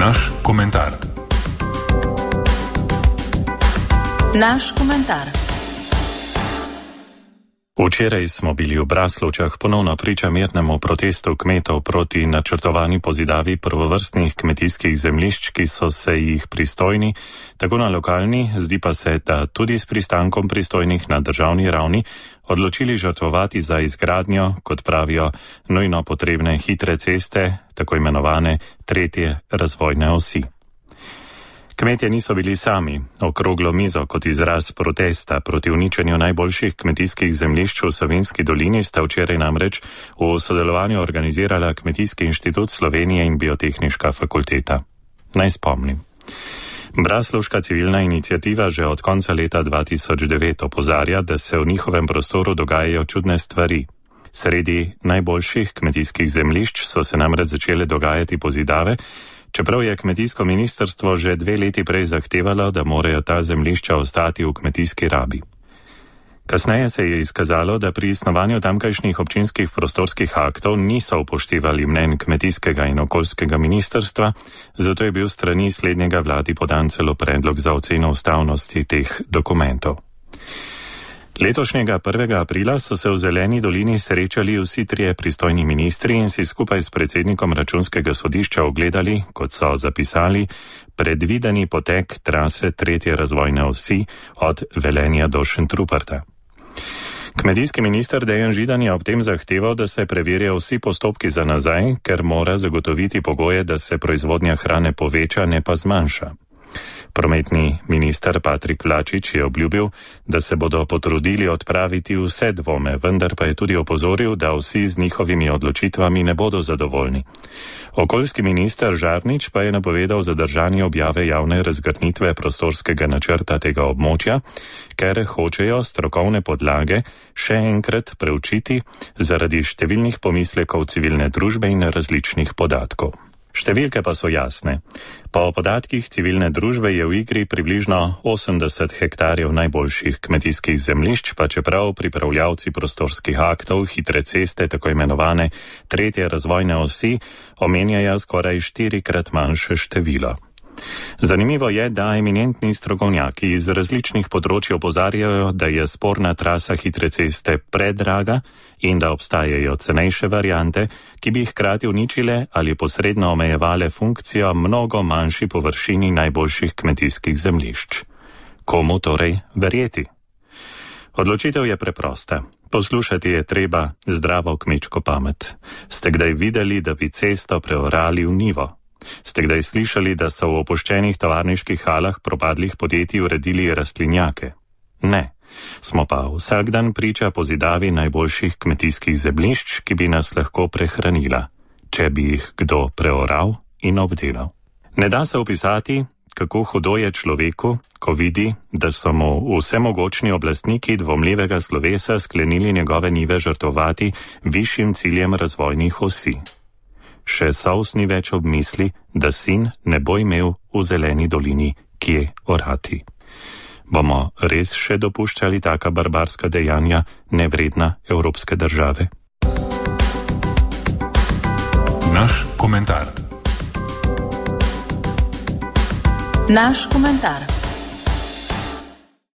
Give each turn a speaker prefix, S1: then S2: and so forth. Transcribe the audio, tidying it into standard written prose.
S1: Naš komentar.
S2: Naš komentar.
S3: Včeraj smo bili v Braslovčah ponovno priča mirnemu protestu kmetov proti načrtovani pozidavi prvovrstnih kmetijskih zemljišč, ki so se jih pristojni, tako na lokalni, zdi pa se, da tudi s pristankom pristojnih na državni ravni, odločili žrtvovati za izgradnjo, kot pravijo, nujno potrebne hitre ceste, tako imenovane tretje razvojne osi. Kmetje niso bili sami. Okroglo mizo kot izraz protesta proti uničenju najboljših kmetijskih zemljišč v Savinjski dolini sta včeraj namreč v sodelovanju organizirala Kmetijski inštitut Slovenije in Biotehniška fakulteta. Naj spomnim. Braslovška civilna iniciativa že od konca leta 2009 opozarja, da se v njihovem prostoru dogajajo čudne stvari. Sredi najboljših kmetijskih zemljišč so se namreč začele dogajati pozidave, čeprav je kmetijsko ministrstvo že 2 leti prej zahtevalo, da morajo ta zemljišča ostati v kmetijski rabi. Kasneje se je izkazalo, da pri snovanju tamkajšnjih občinskih prostorskih aktov niso upoštevali mnenj kmetijskega in okoljskega ministrstva, zato je bil s strani slednjega vladi podan celo predlog za oceno ustavnosti teh dokumentov. Letošnjega 1. aprila so se v Zeleni dolini srečali vsi 3 pristojni ministri in si skupaj s predsednikom Računskega sodišča ogledali, kot so zapisali, predvideni potek trase tretje razvojne osi od Velenja do Šentruperta. Kmetijski minister Dejan Židan je ob tem zahteval, da se preverijo vsi postopki za nazaj, ker mora zagotoviti pogoje, da se proizvodnja hrane poveča, ne pa zmanjša. Prometni minister Patrik Vlačič je obljubil, da se bodo potrudili odpraviti vse dvome, vendar pa je tudi opozoril, da vsi z njihovimi odločitvami ne bodo zadovoljni. Okoljski minister Žarnič pa je napovedal zadržanje objave javne razgrnitve prostorskega načrta tega območja, ker hočejo strokovne podlage še enkrat preučiti zaradi številnih pomislekov civilne družbe in različnih podatkov. Številke pa so jasne. Po podatkih civilne družbe je v igri približno 80 hektarjev najboljših kmetijskih zemljišč, pa čeprav pripravljavci prostorskih aktov hitre ceste, tako imenovane tretje razvojne osi, omenjajo skoraj 4-krat manjše število. Zanimivo je, da eminentni strokovnjaki iz različnih področij opozarjajo, da je sporna trasa hitre ceste predraga in da obstajajo cenejše variante, ki bi hkrati uničile ali posredno omejevale funkcijo mnogo manjši površini najboljših kmetijskih zemljišč. Komu torej verjeti? Odločitev je preprosta. Poslušati je treba zdravo kmečko pamet. Ste kdaj videli, da bi cesto preorali v njivo? Ste kdaj slišali, da so v opuščenih tovarniških halah propadlih podjetij uredili rastlinjake? Ne. Smo pa vsak dan priča pozidavi najboljših kmetijskih zemljišč, ki bi nas lahko prehranila, če bi jih kdo preoral in obdelal. Ne da se opisati, kako hudo je človeku, ko vidi, da so mu vsemogočni oblastniki dvomljivega slovesa sklenili njegove njive žrtvovati višjim ciljem razvojnih osi. Še Sovs ni več ob misli, da sin ne bo imel v Zeleni dolini kje orati. Bomo res še dopuščali taka barbarska dejanja, nevredna evropske države?
S1: Naš komentar.
S2: Naš komentar.